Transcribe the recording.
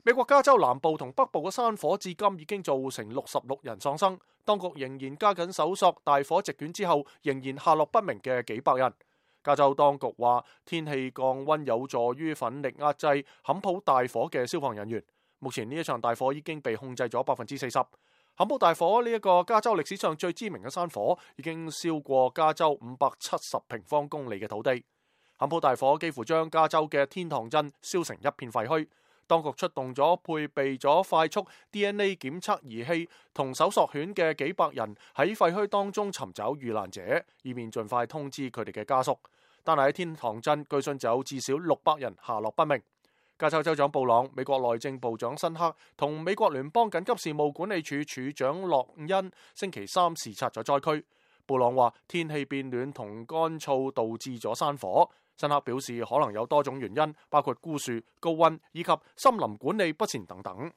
美國加州南部同北部嘅山火至今已經造成66人喪生，當局仍然加緊搜索大火席捲之後仍然下落不明嘅幾百人。加州當局話，天氣降溫有助於奮力壓制坎普大火嘅消防人員。目前呢一場大火已經被控制咗40%。坎普大火呢一個加州歷史上最知名嘅山火，已經燒過加州570平方公里嘅土地。坎普大火幾乎將加州嘅天堂鎮燒成一片廢墟。當局出動咗配備咗快速 DNA 檢測儀器同搜索犬嘅幾百人喺廢墟當中尋找遇難者，以便盡快通知佢哋嘅家屬。但係喺天堂鎮，據信就有至少600人下落不明。加州州長布朗、美國內政部長辛克同美國聯邦緊急事務管理處處長洛恩星期三視察咗災區。布朗話天氣變暖同乾燥導致咗山火。辛克表示可能有多種原因，包括枯樹、高溫以及森林管理不善等等。